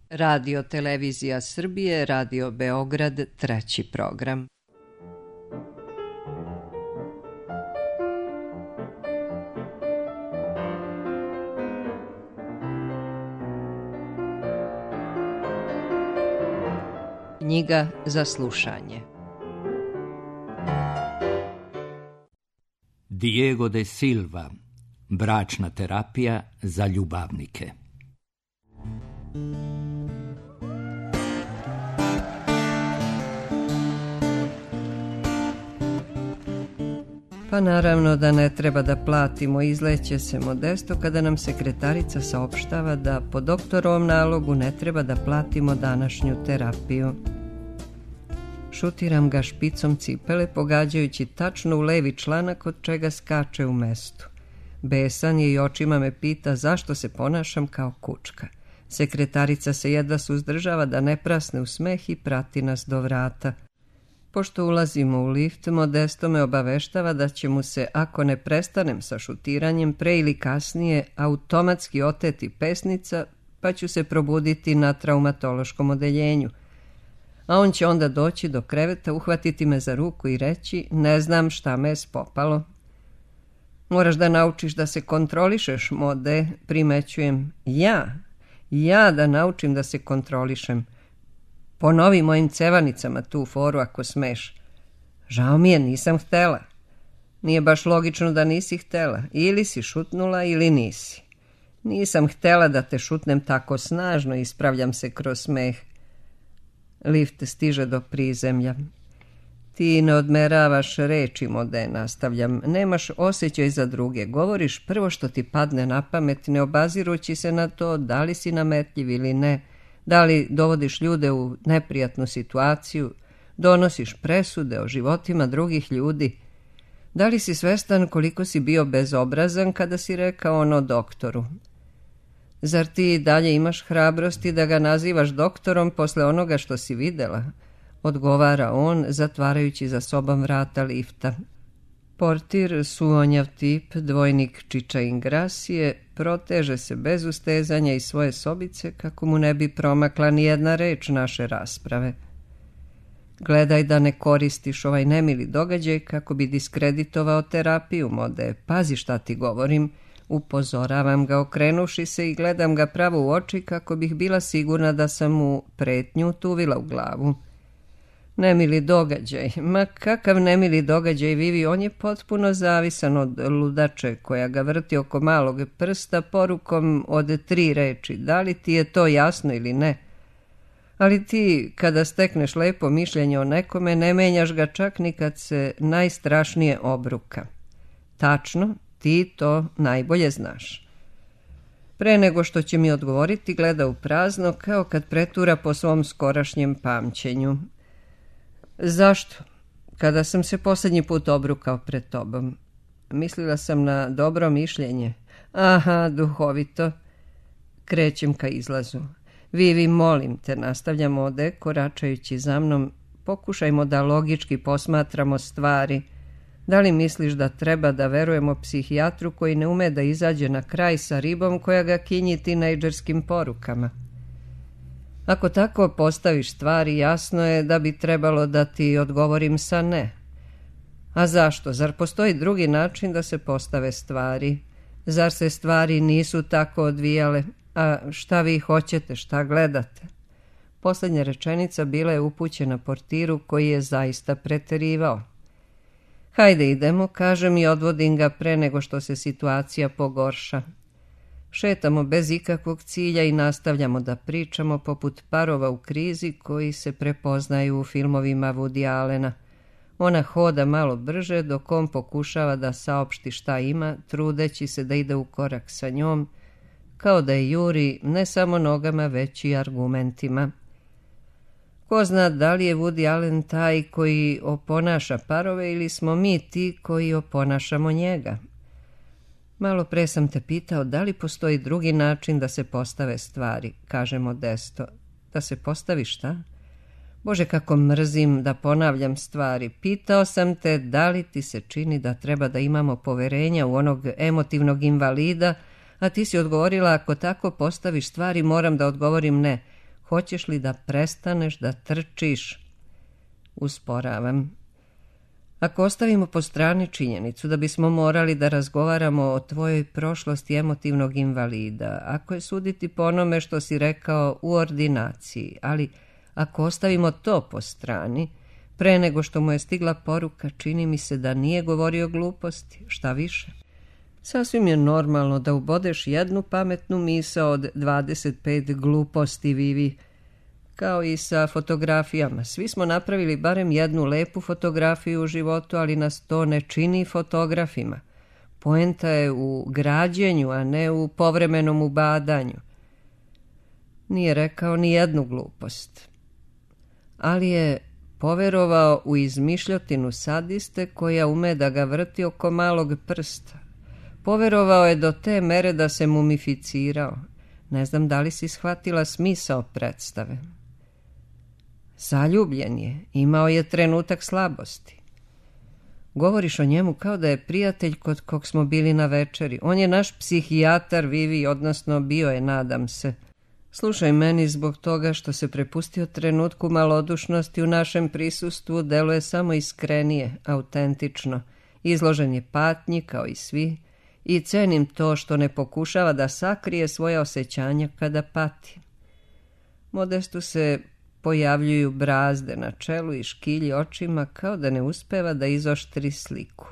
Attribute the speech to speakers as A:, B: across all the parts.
A: Radio Televizija Srbije, Radio Beograd, treći program. Knjiga za slušanje.
B: Diego de Silva, bračna terapija za ljubavnike.
A: Pa naravno da ne treba da platimo, izleće se Modesto kada nam sekretarica saopštava da po doktorovom nalogu ne treba da platimo današnju terapiju. Šutiram ga špicom cipele, pogađajući tačno u levi članak od čega skače u mestu. Besan je i očima me pita zašto se ponašam kao kučka. Sekretarica se jedva suzdržava da ne prasne u smeh i prati nas do vrata. Pošto ulazimo u lift, Modesto me obaveštava da će mu se, ako ne prestanem sa šutiranjem, pre ili kasnije automatski oteti pesnica, pa ću se probuditi na traumatološkom odeljenju. A on će onda doći do kreveta, uhvatiti me za ruku i reći: ne znam šta me je spopalo. Moraš da naučiš da se kontrolišeš, Mode, primećujem. Ja da naučim da se kontrolišem. Ponovi mojim cevanicama tu foru ako smeš. Žao mi je, nisam htela. Nije baš logično da nisi htela. Ili si šutnula ili nisi. Nisam htela da te šutnem tako snažno, ispravljam se kroz smeh. Lift stiže do prizemlja. Ti ne odmeravaš reči, Mode, nastavljam. Nemaš osjećaj za druge. Govoriš prvo što ti padne na pamet, ne obazirući se na to da li si nametljiv ili ne. Da li dovodiš ljude u neprijatnu situaciju, donosiš presude o životima drugih ljudi. Da li si svestan koliko si bio bezobrazan kada si rekao ono doktoru? Zar ti dalje imaš hrabrosti da ga nazivaš doktorom posle onoga što si videla? Odgovara on, zatvarajući za sobom vrata lifta. Portir, suonjav tip, dvojnik Čiča Ingrasije, proteže se bez ustezanja iz svoje sobice kako mu ne bi promakla ni jedna reč naše rasprave. Gledaj da ne koristiš ovaj nemili događaj kako bi diskreditovao terapiju, Mode. Pazi šta ti govorim. Upozoravam ga okrenuši se i gledam ga pravo u oči kako bih bila sigurna da sam mu pretnju tuvila u glavu. Nemili događaj, ma kakav nemili događaj, Vivi, on je potpuno zavisan od ludače koja ga vrti oko malog prsta porukom od 3 reči, da li ti je to jasno ili ne? Ali ti, kada stekneš lepo mišljenje o nekome, ne menjaš ga čak ni kad se najstrašnije obruka. Tačno, ti to najbolje znaš. Pre nego što će mi odgovoriti, gleda u prazno kao kad pretura po svom skorašnjem pamćenju. Zašto? Kada sam se posljednji put obrukao pred tobom. Mislila sam na dobro mišljenje. Aha, duhovito. Krećem ka izlazu. Vivi, molim te, nastavljam Ode, koračajući za mnom. Pokušajmo da logički posmatramo stvari. Da li misliš da treba da verujemo psihijatru koji ne ume da izađe na kraj sa ribom koja ga kinji tinejdžerskim porukama? Ako tako postaviš stvari, jasno je da bi trebalo da ti odgovorim sa ne. A zašto? Zar postoji drugi način da se postave stvari? Zar se stvari nisu tako odvijale? A šta vi hoćete, šta gledate? Posljednja rečenica bila je upućena portiru koji je zaista preterivao. Hajde idemo, kažem i odvodim ga pre nego što se situacija pogorša. Šetamo bez ikakvog cilja i nastavljamo da pričamo poput parova u krizi koji se prepoznaju u filmovima Woody Allena. Ona hoda malo brže dok on pokušava da saopšti šta ima, trudeći se da ide u korak sa njom, kao da je juri ne samo nogama već i argumentima. Ko zna da li je Woody Allen taj koji oponaša parove ili smo mi ti koji oponašamo njega? Malo pre sam te pitao da li postoji drugi način da se postave stvari, kaže Modesto. Da se postavi šta? Bože, kako mrzim da ponavljam stvari. Pitao sam te da li ti se čini da treba da imamo poverenja u onog emotivnog invalida, a ti si odgovorila ako tako postaviš stvari moram da odgovorim ne. Hoćeš li da prestaneš da trčiš? Usporavam. Ako ostavimo po strani činjenicu da bismo morali da razgovaramo o tvojoj prošlosti emotivnog invalida, ako je suditi po onome što si rekao u ordinaciji, ali ako ostavimo to po strani, pre nego što mu je stigla poruka, čini mi se da nije govorio gluposti, šta više. Sasvim je normalno da ubodeš jednu pametnu misao od 25 gluposti, Vivi. Kao i sa fotografijama. Svi smo napravili barem jednu lepu fotografiju u životu, ali nas to ne čini fotografima. Poenta je u građenju, a ne u povremenom ubadanju. Nije rekao ni jednu glupost. Ali je poverovao u izmišljotinu sadiste koja ume da ga vrti oko malog prsta. Poverovao je do te mere da se mumificirao. Ne znam da li si shvatila smisao predstave. Zaljubljen je, imao je trenutak slabosti. Govoriš o njemu kao da je prijatelj kod kog smo bili na večeri. On je naš psihijatar, Vivi, odnosno bio je, nadam se. Slušaj, meni zbog toga što se prepustio trenutku malodušnosti u našem prisustvu deluje samo iskrenije, autentično. Izložen je patnji kao i svi i cenim to što ne pokušava da sakrije svoje osjećanja kada pati. Modestu se pojavljuju brazde na čelu i škilji očima kao da ne uspeva da izoštri sliku.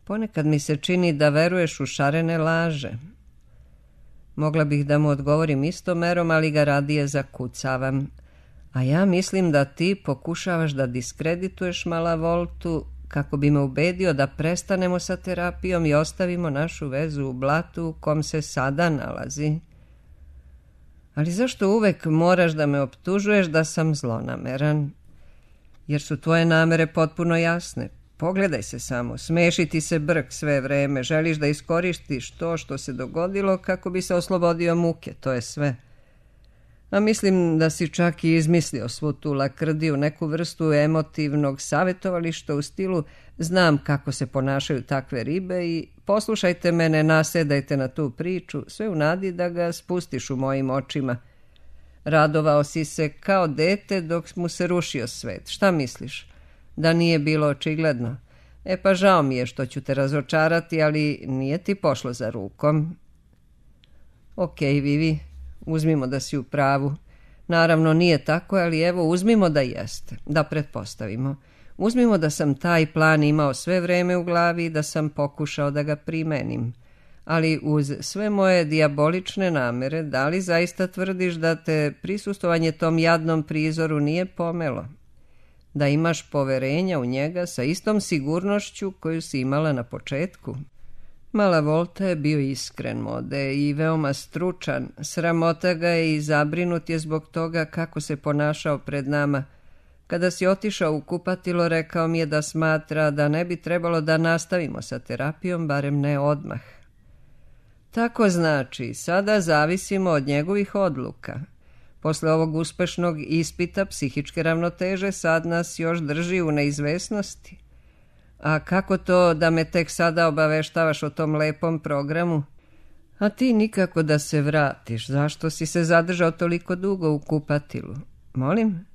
A: Ponekad mi se čini da veruješ u šarene laže. Mogla bih da mu odgovorim istom merom, ali ga radije zakucavam. A ja mislim da ti pokušavaš da diskredituješ Malavoltu kako bi me ubedio da prestanemo sa terapijom i ostavimo našu vezu u blatu u kom se sada nalazi. Ali zašto uvek moraš da me optužuješ da sam zlonameran? Jer su tvoje namere potpuno jasne. Pogledaj se samo, smeši ti se brk sve vreme, želiš da iskoristiš to što se dogodilo kako bi se oslobodio muke, to je sve. A mislim da si čak i izmislio svu tu lakrdiju, neku vrstu emotivnog savjetovališta u stilu znam kako se ponašaju takve ribe i poslušajte me, ne nasedajte na tu priču, sve u nadi da ga spustiš u mojim očima. Radovao si se kao dete dok mu se rušio svet. Šta misliš? Da nije bilo očigledno? Pa žao mi je što ću te razočarati, ali nije ti pošlo za rukom. Okej, Vivi, uzmimo da si u pravu. Naravno nije tako, ali evo uzmimo da jeste, da pretpostavimo. Uzmimo da sam taj plan imao sve vreme u glavi i da sam pokušao da ga primenim. Ali uz sve moje dijabolične namere, da li zaista tvrdiš da te prisustvovanje tom jadnom prizoru nije pomelo? Da imaš poverenja u njega sa istom sigurnošću koju si imala na početku? Malavolta je bio iskren, Mode, i veoma stručan. Sramota ga je i zabrinut je zbog toga kako se ponašao pred nama. Kada si otišao u kupatilo, rekao mi je da smatra da ne bi trebalo da nastavimo sa terapijom, barem ne odmah. Tako znači, sada zavisimo od njegovih odluka. Posle ovog uspešnog ispita psihičke ravnoteže sad nas još drži u neizvesnosti. A kako to da me tek sada obaveštavaš o tom lepom programu? A ti nikako da se vratiš. Zašto si se zadržao toliko dugo u kupatilu? Molim?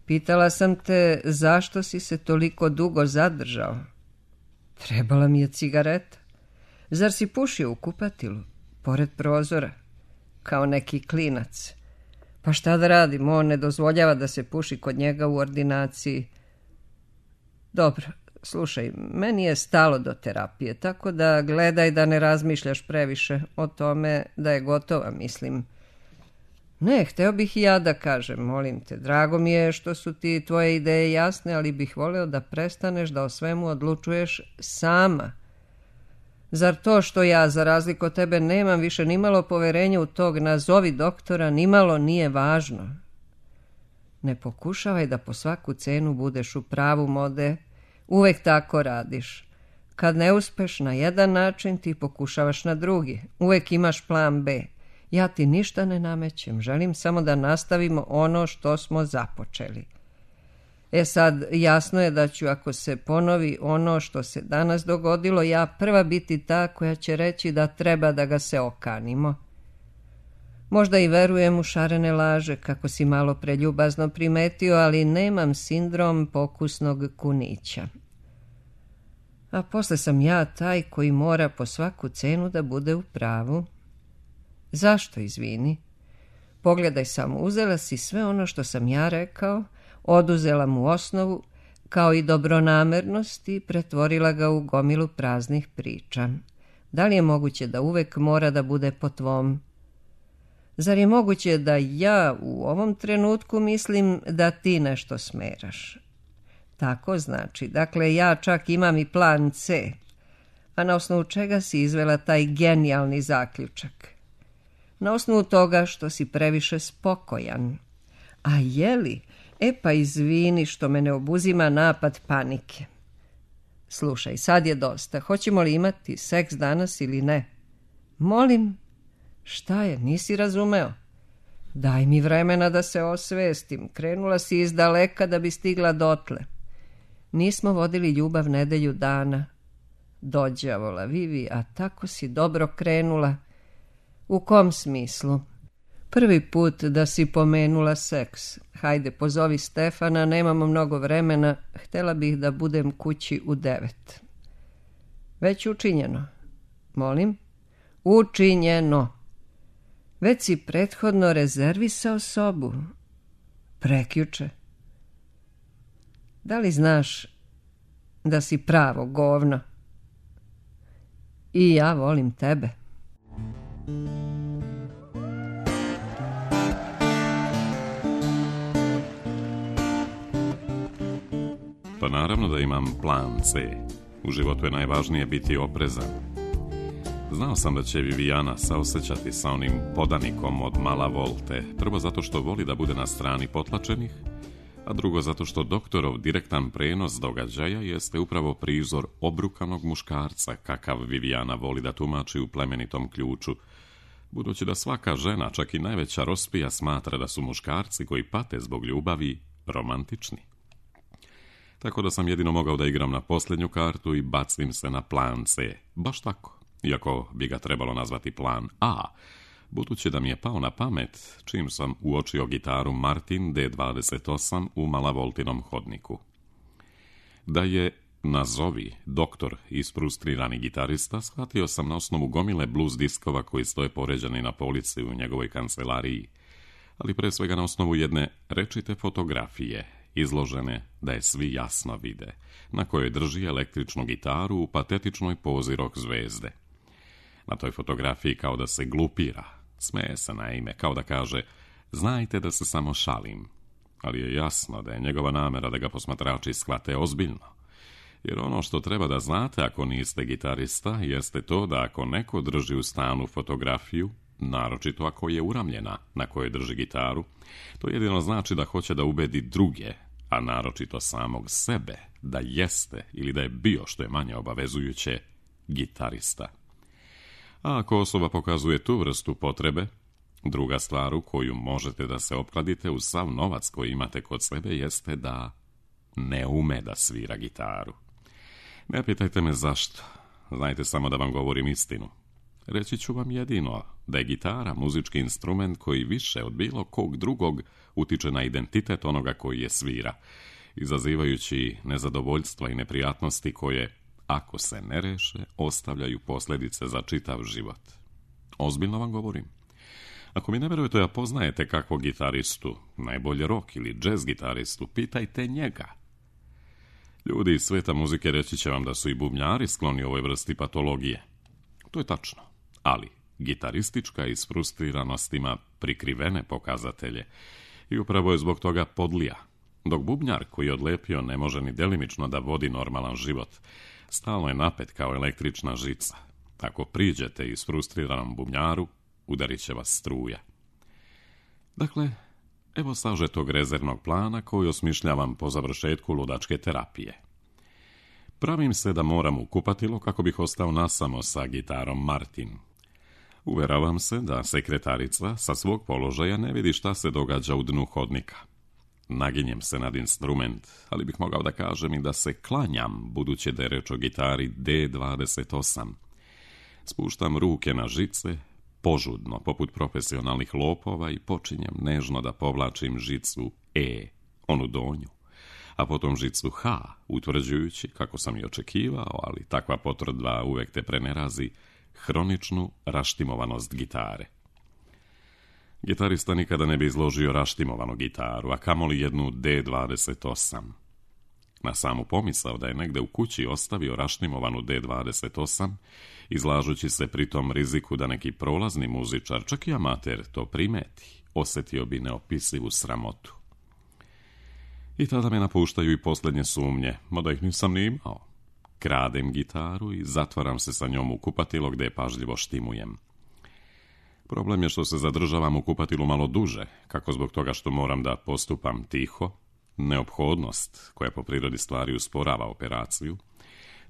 A: Pitala sam te zašto si se toliko dugo zadržao. Trebala mi je cigareta. Zar si pušio u kupatilu? Pored prozora. Kao neki klinac. Pa šta da radim? On ne dozvoljava da se puši kod njega u ordinaciji. Dobro, slušaj, meni je stalo do terapije, tako da gledaj da ne razmišljaš previše o tome da je gotova, mislim. Ne, hteo bih i ja da kažem, molim te, drago mi je što su ti tvoje ideje jasne, ali bih voleo da prestaneš da o svemu odlučuješ sama. Zar to što ja, za razliku od tebe, nemam više nimalo poverenja u tog nazovi doktora, nimalo nije važno? Ne pokušavaj da po svaku cenu budeš u pravu, Mode. Uvek tako radiš. Kad ne uspeš na jedan način, ti pokušavaš na drugi. Uvek imaš plan B. Ja ti ništa ne namećem, želim samo da nastavimo ono što smo započeli. Sad, jasno je da ću, ako se ponovi ono što se danas dogodilo, ja prva biti ta koja će reći da treba da ga se okanimo. Možda i verujem u šarene laže, kako si malo preljubazno primetio, ali nemam sindrom pokusnog kunića. A posle sam ja taj koji mora po svaku cenu da bude u pravu. Zašto, izvini? Pogledaj samo, uzela si sve ono što sam ja rekao, oduzela mu osnovu, kao i dobronamernost i pretvorila ga u gomilu praznih priča. Da li je moguće da uvek mora da bude po tvom? Zar je moguće da ja u ovom trenutku mislim da ti nešto smeraš? Tako znači, dakle ja čak imam i plan C. A na osnovu čega si izvela taj genijalni zaključak? Na osnovu toga što si previše spokojan. A jeli? Pa izvini što me ne obuzima napad panike. Slušaj, sad je dosta. Hoćemo li imati seks danas ili ne? Molim? Šta je, nisi razumeo? Daj mi vremena da se osvestim. Krenula si iz daleka da bi stigla dotle. Nismo vodili ljubav nedelju dana. Dođavola, Vivi, a tako si dobro krenula. U kom smislu? Prvi put da si pomenula seks. Hajde, pozovi Stefana, nemamo mnogo vremena. Htela bih da budem kući u 9. Već učinjeno. Molim? Učinjeno. Već si prethodno rezervisao sobu. Prekjuče. Da li znaš da si pravo govno? I ja volim tebe.
C: Pa naravno da imam plan C. U životu je najvažnije biti oprezan. Znao sam da će Vivijana saosećati sa onim podanikom od Mala Volte, prvo zato što voli da bude na strani potlačenih, a drugo zato što doktorov direktan prenos događaja jeste upravo prizor obrukanog muškarca, kakav Vivijana voli da tumači u plemenitom ključu, budući da svaka žena, čak i najveća rospija, smatra da su muškarci koji pate zbog ljubavi romantični. Tako da sam jedino mogao da igram na posljednju kartu i bacim se na plan C. Baš tako, iako bi ga trebalo nazvati plan A, budući da mi je pao na pamet čim sam uočio gitaru Martin D28 u Malavoltinom hodniku. Da je, nazovi, doktor isfrustrirani gitarista, shvatio sam na osnovu gomile blues diskova koji stoje poređani na polici u njegovoj kancelariji, ali pre svega na osnovu jedne rečite fotografije, izložene da je svi jasno vide, na kojoj drži električnu gitaru u patetičnoj pozi rock zvezde. Na toj fotografiji kao da se glupira, smeje se naime, kao da kaže, znajte da se samo šalim, ali je jasno da je njegova namera da ga posmatrači shvate ozbiljno. Jer ono što treba da znate ako niste gitarista, jeste to da ako neko drži u stanu fotografiju, naročito ako je uramljena na kojoj drži gitaru, to jedino znači da hoće da ubedi druge, a naročito samog sebe, da jeste ili da je bio, što je manje obavezujuće, gitarista. A ako osoba pokazuje tu vrstu potrebe, druga stvar u koju možete da se opkladite uz sav novac koji imate kod sebe jeste da ne ume da svira gitaru. Ne pitajte me zašto, znajte samo da vam govorim istinu. Reći ću vam jedino da je gitara muzički instrument koji više od bilo kog drugog utiče na identitet onoga koji je svira, izazivajući nezadovoljstva i neprijatnosti koje, ako se ne reše, ostavljaju posljedice za čitav život. Ozbiljno vam govorim. Ako mi ne verujete, a poznajete kakvog gitaristu, najbolje rock ili jazz gitaristu, pitajte njega. Ljudi iz sveta muzike reći će vam da su i bubnjari skloni ovoj vrsti patologije. To je tačno, ali gitaristička isfrustriranost ima prikrivene pokazatelje i upravo je zbog toga podlija. Dok bubnjar koji je odlepio ne može ni delimično da vodi normalan život, stalno je napet kao električna žica. Ako priđete isfrustriranom bubnjaru, udarit će vas struja. Dakle, evo sažetog rezervnog plana koji osmišljavam po završetku ludačke terapije. Pravim se da moram u kupatilo kako bih ostao nasamo sa gitarom Martin. Uveravam se da sekretarica sa svog položaja ne vidi šta se događa u dnu hodnika. Naginjem se nad instrument, ali bih mogao da kažem i da se klanjam, budući da je reč o gitari D28. Spuštam ruke na žice, požudno, poput profesionalnih lopova i počinjem nežno da povlačim žicu E, onu donju, a potom žicu H, utvrđujući, kako sam i očekivao, ali takva potvrdba uvek te prenerazi, hroničnu raštimovanost gitare. Gitarista nikada ne bi izložio raštimovanu gitaru, a kamoli jednu D28. Na samu pomisao da je negde u kući ostavio raštimovanu D28, izlažući se pritom riziku da neki prolazni muzičar, čak i amater, to primeti, osjetio bi neopisivu sramotu. I tada me napuštaju i posljednje sumnje, mada ih nisam ni imao. Kradem gitaru i zatvaram se sa njom u kupatilo gde je pažljivo štimujem. Problem je što se zadržavam u kupatilu malo duže, kako zbog toga što moram da postupam tiho, neophodnost koja po prirodi stvari usporava operaciju,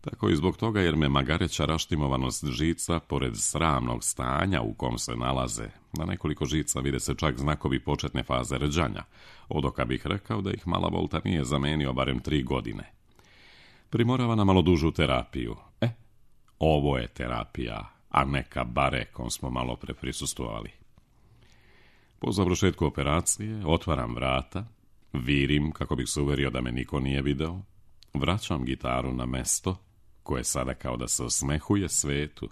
C: tako i zbog toga jer me magareća raštimovanost žica, pored sramnog stanja u kom se nalaze, na nekoliko žica vide se čak znakovi početne faze rđanja, odoka bih rekao da ih Mala Volta nije zamenio barem 3 godine. Primorava na malo dužu terapiju. Ovo je terapija, a ne kabare kom smo malo pre prisustvovali. Po završetku operacije otvaram vrata, virim kako bih se uverio da me niko nije video, vraćam gitaru na mesto, koje sada kao da se osmehuje svetu.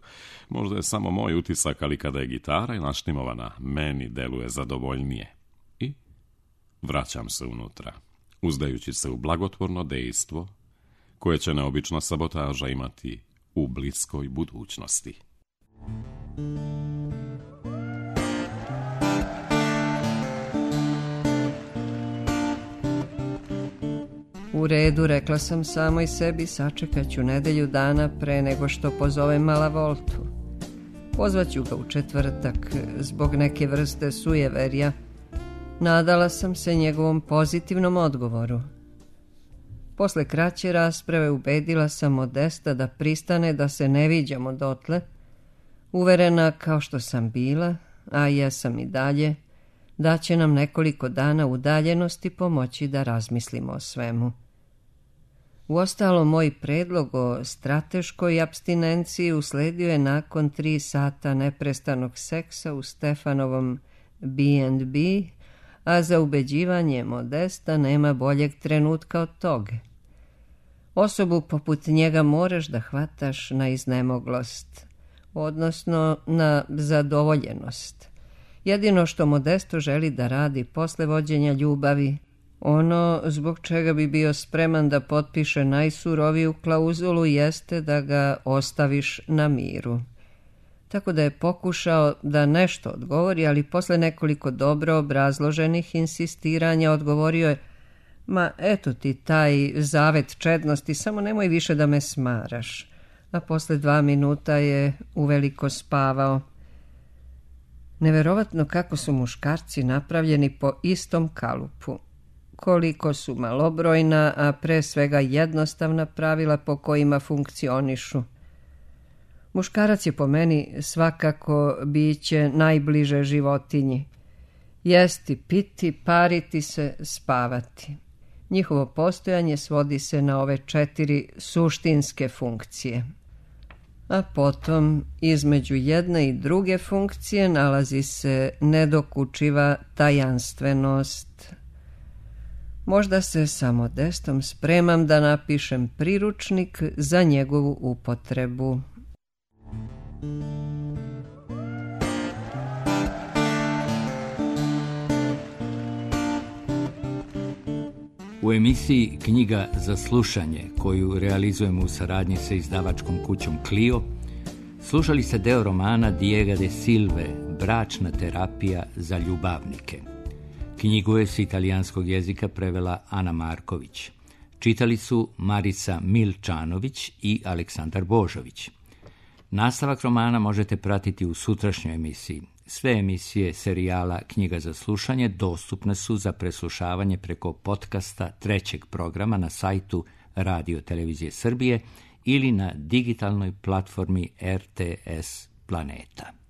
C: Možda je samo moj utisak, ali kada je gitara naštimovana, meni deluje zadovoljnije. I vraćam se unutra, uzdajući se u blagotvorno dejstvo, koje će neobična sabotaža imati u bliskoj budućnosti.
A: U redu, rekla sam samoj sebi, sačekat ću nedelju dana pre nego što pozovem Mala Voltu. Pozvaću ga u četvrtak zbog neke vrste sujeverja. Nadala sam se njegovom pozitivnom odgovoru. Posle kraće rasprave ubedila sam Modesta da pristane da se ne viđamo dotle, uverena kao što sam bila, a jesam i dalje, da će nam nekoliko dana udaljenosti pomoći da razmislimo o svemu. Uostalom, moj predlog o strateškoj apstinenciji usledio je nakon 3 sata neprestanog seksa u Stefanovom B&B, a za ubeđivanje Modesta nema boljeg trenutka od toga. Osobu poput njega moraš da hvataš na iznemoglost, odnosno na zadovoljenost. Jedino što Modesto želi da radi posle vođenja ljubavi, ono zbog čega bi bio spreman da potpiše najsuroviju klauzulu, jeste da ga ostaviš na miru. Tako da je pokušao da nešto odgovori, ali posle nekoliko dobro obrazloženih insistiranja odgovorio je: ma eto ti taj zavet čednosti, samo nemoj više da me smaraš. A posle 2 minuta je uveliko spavao. Neverovatno kako su muškarci napravljeni po istom kalupu. Koliko su malobrojna, a pre svega jednostavna pravila po kojima funkcionišu. Muškarac je po meni svakako biće najbliže životinji. Jesti, piti, pariti se, spavati. Njihovo postojanje svodi se na ove 4 suštinske funkcije. A potom, između jedne i druge funkcije nalazi se nedokučiva tajanstvenost. Možda se sa Modestom spremam da napišem priručnik za njegovu upotrebu.
B: U emisiji Knjiga za slušanje, koju realizujemo u saradnji sa izdavačkom kućom Clio, slušali ste deo romana Diega de Silve, Bračna terapija za ljubavnike. Knjigu je s italijanskog jezika prevela Ana Marković. Čitali su Marica Milčanović i Aleksandar Božović. Nastavak romana možete pratiti u sutrašnjoj emisiji. Sve emisije serijala Knjiga za slušanje dostupne su za preslušavanje preko podcasta 3. programa na sajtu Radio Televizije Srbije ili na digitalnoj platformi RTS Planeta.